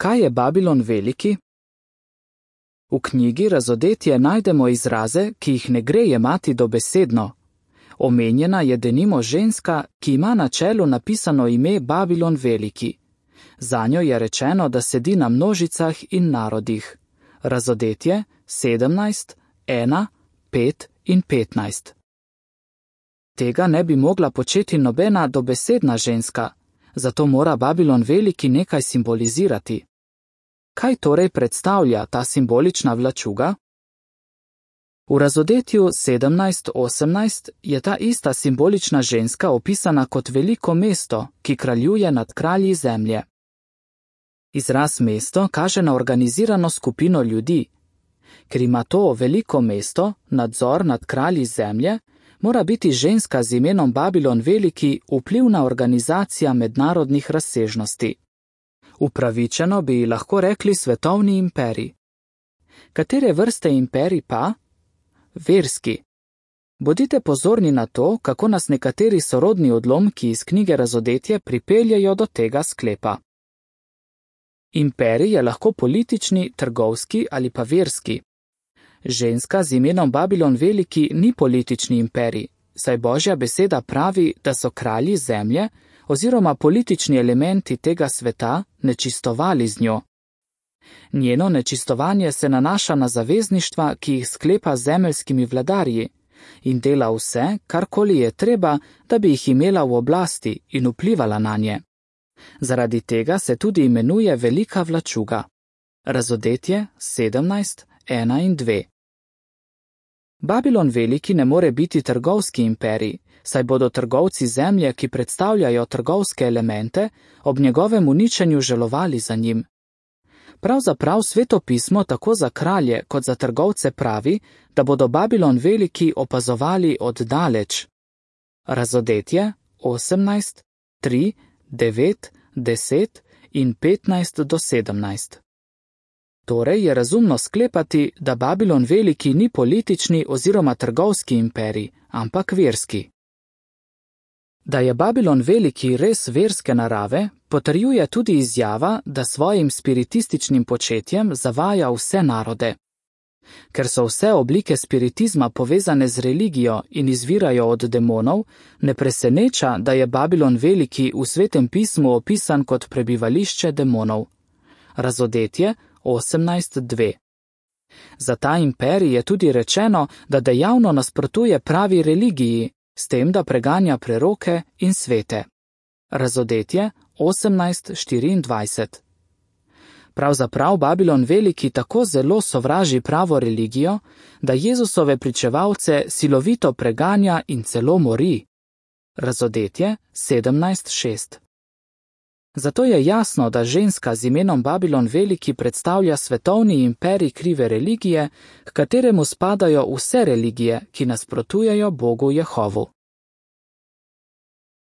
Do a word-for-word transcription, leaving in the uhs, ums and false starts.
Kaj je Babilon veliki? V knjigi Razodetje najdemo izraze, ki jih ne gre jemati dobesedno. Omenjena je denimo ženska, ki ima na čelu napisano ime Babilon veliki. Zanjo je rečeno, da sedi na množicah in narodih. Razodetje sedemnajst, ena, pet in petnajst. Tega ne bi mogla početi nobena dobesedna ženska, zato mora Babilon veliki nekaj simbolizirati. Kaj torej predstavlja ta simbolična vlačuga? V Razodetju sedemnajst osemnajst je ta ista simbolična ženska opisana kot veliko mesto, ki kraljuje nad kralji zemlje. Izraz mesto kaže na organizirano skupino ljudi. Ker ima to veliko mesto, nadzor nad kralji zemlje, mora biti ženska z imenom Babilon veliki vplivna organizacija mednarodnih razsežnosti. Upravičeno bi lahko rekli svetovni imperij. Katere vrste imperij pa? Verski. Bodite pozorni na to, kako nas nekateri sorodni odlomki iz knjige Razodetje pripeljajo do tega sklepa. Imperij je lahko politični, trgovski ali pa verski. Ženska z imenom Babilon veliki ni politični imperij, saj Božja beseda pravi, da so kralji zemlje oziroma politični elementi tega sveta nečistovali z njo. Njeno nečistovanje se nanaša na zavezništva, ki jih sklepa z zemeljskimi vladarji in dela vse, karkoli je treba, da bi jih imela v oblasti in vplivala na nje. Zaradi tega se tudi imenuje velika vlačuga. Razodetje sedemnajst, ena in dve. Babilon veliki ne more biti trgovski imperij, saj bodo trgovci zemlje, ki predstavljajo trgovske elemente, ob njegovem uničenju žalovali za njim. Pravzaprav Sveto pismo tako za kralje kot za trgovce pravi, da bodo Babilon veliki opazovali od daleč. Razodetje osemnajst, tri, devet, deset in petnajst do sedemnajst. Torej je razumno sklepati, da Babilon veliki ni politični oziroma trgovski imperij, ampak verski. Da je Babilon veliki res verske narave, potrjuje tudi izjava, da svojim spiritističnim početjem zavaja vse narode. Ker so vse oblike spiritizma povezane z religijo in izvirajo od demonov, ne preseneča, da je Babilon veliki v Svetem pismu opisan kot prebivališče demonov. Razodetje osemnajst dve. Za ta imperij je tudi rečeno, da dejavno nasprotuje pravi religiji, s tem, da preganja preroke in svete. Razodetje osemnajst štiriindvajset. Pravzaprav Babilon veliki tako zelo sovraži pravo religijo, da Jezusove pričevalce silovito preganja in celo mori. Razodetje sedemnajst šest. Zato je jasno, da ženska z imenom Babilon veliki predstavlja svetovni imperij krive religije, k kateremu spadajo vse religije, ki nasprotujejo Bogu Jehovu.